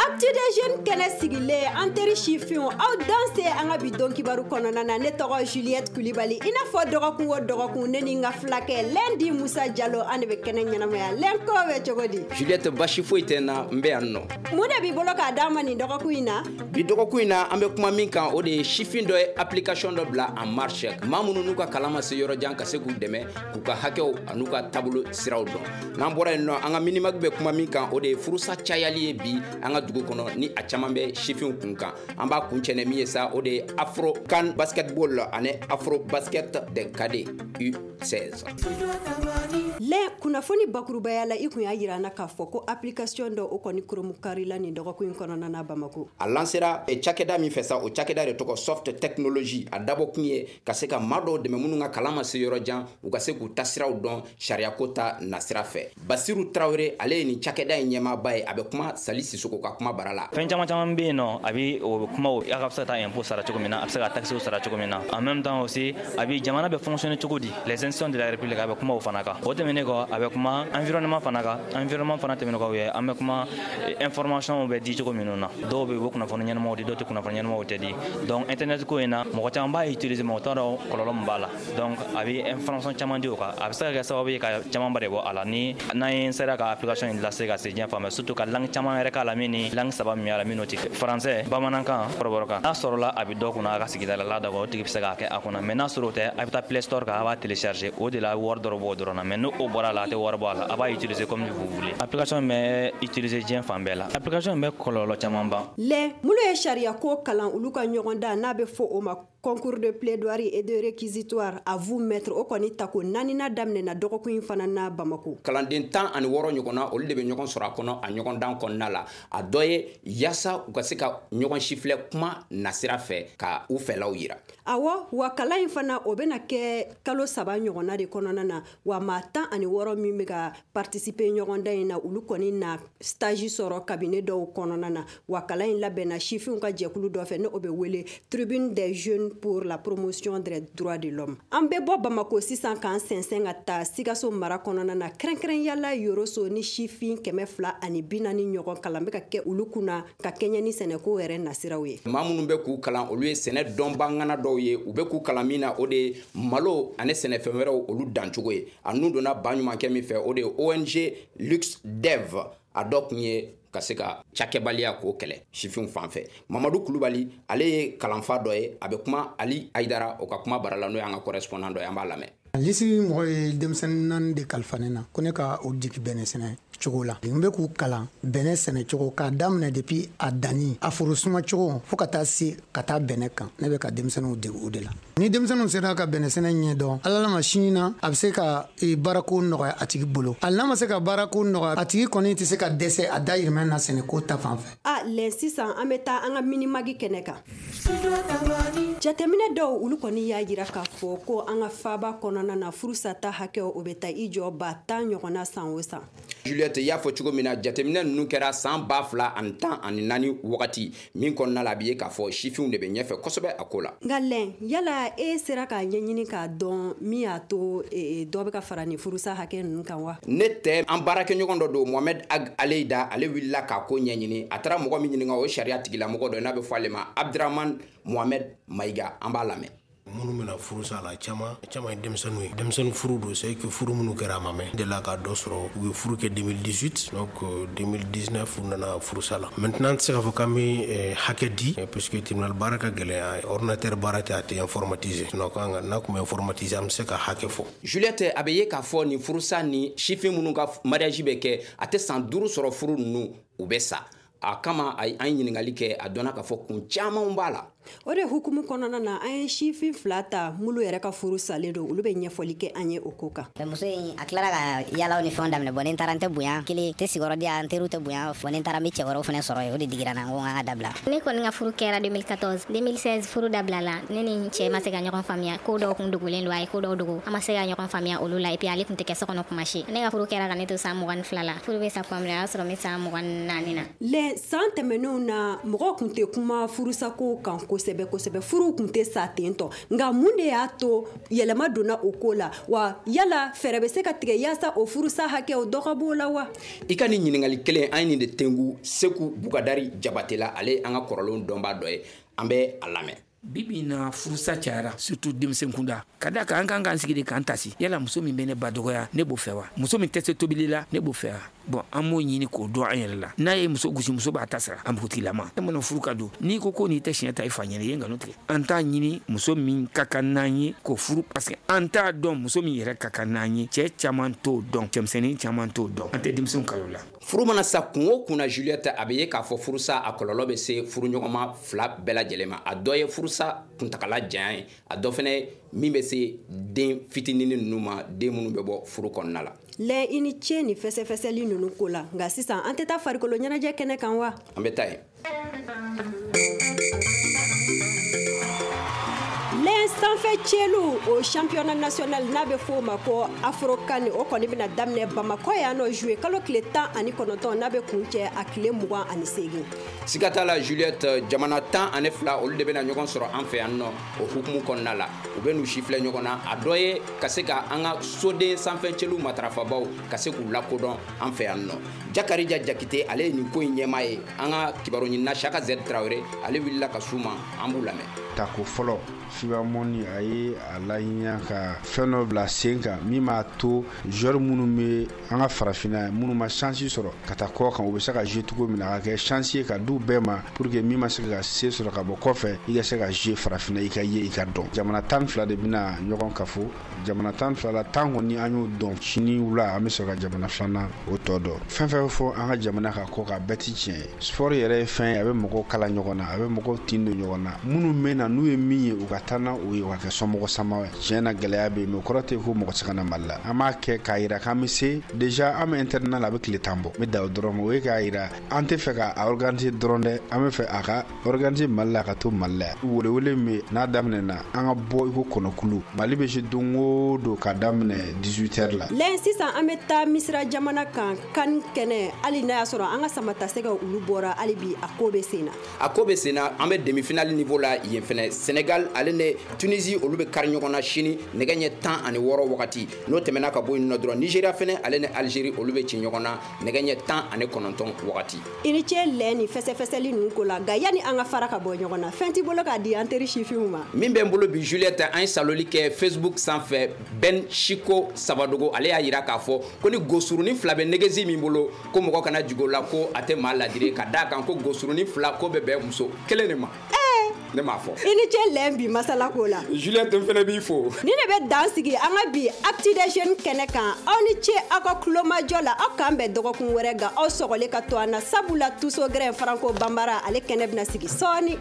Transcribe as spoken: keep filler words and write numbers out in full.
Actu des jeunes kɛnɛ sigilen, an teri sifinw, aw danse an ka bi don kibaru kɔnɔna na. Ne tɔgɔ Juliette Kulibali. I n'a fɔ dɔgɔkun o dɔgɔkun, ne ni n ka fulakɛ Lendi Musa Jalo, an de bɛ kɛnɛ ɲɛnamaya. Lɛnko bɛ cogo di? Juliette, basi foyi tɛ n na, n bɛ yan nɔ. Mun de b'i bolo k'a d'an ma nin dɔgɔkun in na? Bi dɔgɔkun in na, an bɛ kuma min kan, o de ye sifin dɔ ye application dɔ bila en marche, maa minnu n'u ka kalan ma se yɔrɔ jan, ka se k'u dɛmɛ k'u ka hakɛw an'u ka taabolo siraw dɔn. N'an bɔra yen nɔ, an ka Minimag bɛ kuma min kan, o de ye furusa cayali ye bi an ka dugu kɔnɔ, ni a caman bɛ sifinw kun kan. An b'a kun cɛnɛ min ye sa, o de ye Afro CAN basketball ani Afro basket des cadets U seize. Lɛn, kunnafoni bakurubaya la, i kun y'a yira an na k'a fɔ ko application dɔ, o kɔni kurunbonkari la nin dɔgɔkun in kɔnɔna na Bamako. A lancera cakɛda min fɛ sa, o cakɛda de tɔgɔ Soft Technology. A dabɔ kun ye ka se ka maa dɔw dɛmɛ minnu ka kalan ma se yɔrɔ jan, u ka se k'u tasiraw dɔn sariyako ta nasira fɛ. Basiru Tarawele, ale ye nin cakɛda in ɲɛmaaba ye. A bɛ kuma Sali Sisoko ka kuma bara la. Fɛn caman caman bɛ yen nɔ, a bɛ o kumaw, a ka se ka taa impôt sara cogo min na, a bɛ se ka taxes sara cogo min na. En même temps aussi, a bɛ jamana bɛ fonctionner cogo di, les institutions de la République, a bɛ kuma o fana kan. O tɛmɛnen kɔ, a bɛ kuma environnement fana kan. Environnement fana tɛmɛnen kɔ, an bɛ kuma information bɛ di cogo minnu na. Dɔw bɛ yen, u bɛ kunnafoni ɲɛnamaw di, dɔw tɛ kunnafoni ɲɛnamaw tɛ di. Donc internet ko in na, mɔgɔ caman b'a utiliser, mɔgɔ t'a dɔn kɔlɔlɔ min b'a la. Donc a bɛ information caman di o kan. A bɛ se ka kɛ sababu ye ka camanba de bɔ a la ni n'an ye sera ka application in lase ka se diɲɛ fan bɛɛ, surtout ka langue caman yɛrɛ k'a la, min ni langue saba min b'a la, min n'o tɛ français, bamanankan, kɔrɔbɔrɔkan. N'a sɔrɔla a bɛ dɔ kunna a ka sigida la, la o tigi bɛ se k'a kɛ a kunna. Mais n'a sɔrɔ o tɛ, a bɛ taa Play Store kan, a b'a télécharger. O de la, wari dɔrɔn b'o dɔrɔn na. Mais n'o bɔra a la, a tɛ wari bɔ a la, a b'a utiliser comme vous voulez. Application bɛ utiliser diɲɛ fan bɛɛ la. Application bɛ kɔlɔlɔ caman ban. Lɛ, minnu ye sariya ko kalan, olu ka ɲɔgɔn dan n'a bɛ fɔ o ma concours de plaidoirie et de réquisitoire à vous maître, o kɔni tako naaninan daminɛna dɔgɔkun in fana na Bamako. Kalanden tan ani wɔɔrɔ ɲɔgɔnna, olu de bɛ ɲɔgɔn sɔrɔ a kɔnɔ a ɲɔgɔndan kɔnɔna la. A dɔ ye yaasa u ka se ka ɲɔgɔn sifilɛ kuma nasira fɛ, ka u fɛlaw yira. Awɔ, wa kalan in fana, o bɛna kɛ kalo saba ɲɔgɔnna de kɔnɔna na. Wa maa tan ani wɔɔrɔ min bɛ ka participer ɲɔgɔndan in na, olu kɔni na stage sɔrɔ cabinet dɔw kɔnɔna na. Wa kalan in labɛnna sifinw ka jɛkulu dɔ fɛ, ni o bɛ wele Tribune des jeunes pour la promotion des droits de l'homme. An bɛ bɔ Bamako sisan k'an sɛnsɛn ka taa Sikaso mara kɔnɔna na, kɛrɛnkɛrɛnyala Yoroso, ni sifin kɛmɛ fila ani bi naani ɲɔgɔn kalan bɛ ka kɛ olu kunna ka kɛɲɛ ni sɛnɛko yɛrɛ nasiraw ye. Maa minnu bɛ k'u kalan, olu ye sɛnɛ dɔnbagana dɔw ye. U bɛ k'u kalan min na, o de ye malo ani sɛnɛfɛn wɛrɛw, olu dancogo ye. A nun donna ba ɲumankɛ min fɛ, o de ye O N G Lux Dev. A dɔ kun ye ka se ka cakɛbaliya k'o kɛlɛ sifinw fan fɛ. Mamadu Kulubali, ale ye kalanfa dɔ ye. A bɛ kuma Ali Ayidara o ka kuma bara la, n'o y'an ka correspondant dɔ ye. An b'a lamɛn. Lisi mɔgɔ ye denmisɛnnin naani de kalifa ne na ko ne ka o jigi bɛnɛ sɛnɛ cogo la. N bɛ k'u kalan bɛnɛ sɛnɛ cogo, k'a daminɛ depuis a danni, a foro suma cogo, fo ka taa se ka taa bɛnɛ kan. Ne bɛ ka denmisɛnninw dege o de la. Ni denmisɛnninw sera ka bɛnɛ sɛnɛ ɲɛ dɔn, Ala ma sini na, a bɛ se ka baarako nɔgɔya a tigi bolo. Hali n'a ma se ka baarako nɔgɔya a tigi kɔni, tɛ se ka dɛsɛ a dayirimɛ na sɛnɛko ta fan fɛ. A lɛn, sisan an bɛ taa an ka Minimag kɛnɛ kan. Jateminɛ dɔw, olu kɔni y'a jira k'a fɔ ko an ka faaba kɔnɔna na, furusata hakɛ, o bɛ taa i jɔ ba tan ɲɔgɔnna san o san. Juliette, i y'a fɔ cogo min na, jateminɛ ninnu kɛra san ba fila ani tan ani naani wagati min kɔnɔna la, a bɛ ye k'a fɔ sifinw de bɛ ɲɛfɛ kosɛbɛ a ko la. Nka lɛn, yala e sera k'a ɲɛɲini k'a dɔn min y'a to dɔ bɛ ka fara nin furusa hakɛ ninnu kan wa? Ne tɛ, an baarakɛɲɔgɔn dɔ don, Mohamed Ag Aleyida. Ale wulila k'a ko ɲɛɲini. A taara mɔgɔ min ɲininka, o ye sariya tigilamɔgɔ dɔ ye n'a bɛ fɔ ale ma Abdramane Mohamed Mayiga. An b'a lamɛn. Minnu bɛna furusa la, caman caman ye denmisɛnninw ye. Denmisɛnnin furu don, c'est que furu minnu kɛra, a ma mɛn. Delila ka dɔ sɔrɔ, u ye furu kɛ deux mille dix-huit, donc deux mille dix-neuf u nana furusa la. Maintenant, an tɛ se k'a fɔ k'an bɛ hakɛ di, puisque tribunal baara ka gɛlɛn, ordinateur baara tɛ, a tɛ informatiser. Sinon kan ka n'a tun bɛ informatiser, an bɛ se ka hakɛ fɔ. Juliette, a bɛ ye k'a fɔ nin furusa ni sifin minnu ka mariage bɛ kɛ, a tɛ san duuru sɔrɔ, furu ninnu u bɛ sa. A kama an ye ɲininkali kɛ, a dɔnna k'a fɔ kun caman b'a la. O de hukumu kɔnɔna na, an ye sifin fila ta minnu yɛrɛ ka furu salen don. Olu bɛ ɲɛfɔli kɛ an ye o ko kan. Muso in, a tilara ka yalaw ni fɛnw daminɛ. Bɔn, ni n taara, n tɛ bonya kelen tɛ, sigiyɔrɔ di yan, n teriw tɛ bonya. Fɔ ni n taara, n bɛ cɛ wɛrɛw fana sɔrɔ yen. O de digira n na, n ko n ka dabila. Ne kɔni ka furu kɛra deux mille quatorze. deux mille seize furu dabilala. Ne ni n cɛ ma se ka ɲɔgɔn faamuya. Ko dɔw kun dogolen don, a ye ko dɔw dogo, an ma se ka ɲɔgɔn faamuya olu la. Et puis ale kun tɛ kɛ so kɔnɔ kuma si. Ne ka furu kɛra ka ne to san mugan ni fila la. Furu bɛ sa tuma min na, o y'a sɔrɔ n bɛ san mugan ni naani na. Lɛ, san tɛmɛnenw na, mɔgɔw kun tɛ kuma furusako kan. kosɛbɛ kosɛbɛ, furuw kun tɛ sa ten tɔ. Nka mun de y'a to yɛlɛma donna o ko la? Wa yala fɛɛrɛ bɛ se ka tigɛ yaasa o furusa hakɛw dɔ ka b'o la wa? I ka nin ɲininkali kelen, an ye nin de tengu Seku Bukadari Jabate la, ale an ka kɔrɔlenw dɔnbaa dɔ ye, an bɛ a lamɛn. Bibi na furusa cayara, surtout denmisɛn kunda. Ka da kan, an kan k'an sigi de k'an tasi. Yala muso min bɛ ne ba dɔgɔya, ne b'o fɛ wa? Muso min tɛ se tobili la, ne b'o fɛ wa? Bon, an b'o ɲini k'o dɔn an yɛrɛ la. N'a ye muso gosi, muso b'a ta sara a npogotigilama. E mana furu ka don, n'i ko ko n'i tɛ siɲɛ ta i fa ɲɛna, i ye nkalon tigɛ. An t'a ɲini muso min ka kan n'an ye k'o furu, parce que an t'a dɔn muso min yɛrɛ ka kan n'an ye. Cɛ caman t'o dɔn, cɛmisɛnnin caman t'o dɔn. An tɛ denmisɛnw kalo la. Furu mana sa kun o kun na, Juliette, a bɛ ye k'a fɔ furusa a kɔlɔlɔ bɛ se furuɲɔgɔnma fila bɛɛ lajɛlen ma. A dɔ ye furusa kuntagala janya ye, a dɔ fɛnɛ min bɛ se den fitinin ninnu ma, den minnu bɛ bɔ furu kɔnɔna la. Lɛ, i ni ce ni fɛsɛfɛsɛli ninnu ko la. Nka sisan an tɛ taa farikolo ɲɛnajɛ kɛnɛ kan wa? An bɛ taa yen. Lɛn, sanfɛ cɛlu o championnat national n'a bɛ f'o ma ko Afrocan, o kɔni bɛna daminɛ Bamakɔ yan nɔ juillet kalo tile tan ani kɔnɔntɔn, n'a bɛ kun cɛ a tile mugan ani seegin. Siga t'a la, Juliette, jamana tan ani fila olu de bɛna ɲɔgɔn sɔrɔ an fɛ yan nɔ. O hukumu kɔnɔna la, u bɛ n'u sifilɛ ɲɔgɔn na. A dɔ ye ka se ka an ka soden sanfɛ cɛlu matarafabaw ka se k'u lakodɔn an fɛ yan nɔ. Jakarija Jakite, ale ye nin ko in ɲɛmaa ye. An ka kibaru ɲinina Saka Z Tarawele, ale wulila ka s'u ma, an b'u lamɛn. Tako fɔlɔ, FIBA Monde a ye a laɲini ka fɛn dɔ bila sen kan min b'a to joueur minnu bɛ an ka farafinna, minnu ma chance sɔrɔ ka taa kɔ kan, u bɛ se ka jouer cogo min na, a ka kɛ chance ye ka d'u bɛɛ ma, pour que min ma se ka se sɔrɔ ka bɔ kɔfɛ, i ka se ka jouer farafinna, i ka ye, i ka dɔn. Jamana tan fila de bɛna ɲɔgɔn kafo. Jamana tan fila la, tan kɔni an y'o dɔn. Sini wula an bɛ sɔrɔ ka jamana filanan o tɔ dɔn. Fɛn fɛn fɔ an ka jamana ka kɔ kan, bɛɛ ti tiɲɛ ye. Sport yɛrɛ ye fɛn ye, a bɛ mɔgɔw kala ɲɔgɔn na, a bɛ mɔgɔw tin don ɲɔgɔn na. Minnu bɛ na, n'u ye min ye, u ka taa na o ye, u ka kɛ somɔgɔ sama ye. Tiɲɛ na, gɛlɛya bɛ yen, mais o kɔrɔ tɛ ko mɔgɔ tɛ se ka na Mali la. An b'a kɛ k'a yira k'an bɛ se. Déjà an bɛ internat la, a bɛ tile tan bɔ. N bɛ dan o dɔrɔn ma. O ye k'a yira an tɛ fɛ ka organiser dɔrɔn dɛ, an bɛ fɛ a ka organiser Mali la, a ka to Mali la yan. Welewele min n'a daminɛna, an ka bɔ i ko kɔnɔkulu. Mali bɛ se don o don ka daminɛ dix-huit heures la. Lɛn, sisan an bɛ taa Misira jamana kan, kan kɛnɛ. Hali n'a y'a sɔrɔ an ka samatasɛgɛw olu bɔra, hali bi a ko bɛ sen na. A ko bɛ sen na. An bɛ demi-finale niveau la yen fɛnɛ. Sénégal ale ni Tunisie, olu bɛ kari ɲɔgɔn na sini nɛgɛ ɲɛ tan ani wɔɔrɔ wagati. N'o tɛmɛna ka bɔ yen nɔ dɔrɔn, Nigéria fɛnɛ, ale ni Algérie, olu bɛ ci ɲɔgɔn na nɛgɛ ɲɛ tan ani kɔnɔntɔn wagati. I ni ce lɛ ni fɛsɛfɛsɛli ninnu ko la. Nka yanni an ka fara ka bɔ ɲɔgɔn na, fɛn t'i bolo k'a di an teri sifinw ma? Min bɛ n bolo bi, Juliette, an ye saloli kɛ Facebook sanfɛ. Ben Chiko Sabadogo, ale y'a yira k'a fɔ ko ni gosurunin fila bɛ nɛgɛsi min bolo, ko mɔgɔ kana jigin o la, ko a tɛ maa ladire, ka d'a kan ko gosurunin fila ko bɛ bɛn muso kelen de ma. Ne m'a fɔ. I ni ce lɛn bi masala ko la. Juliette, n fɛnɛ b'i fo. Ni ne bɛ dan sigi an ka bi Actu des Jeunes kɛnɛ kan. Aw ni ce aw ka kulomajɔ la. Aw k'an bɛn dɔgɔkun wɛrɛ. Nka aw sɔgɔlen ka to an na, sabula Tuso Gɛrɛn Faranko Banbara, ale kɛnɛ bɛna sigi sɔɔni.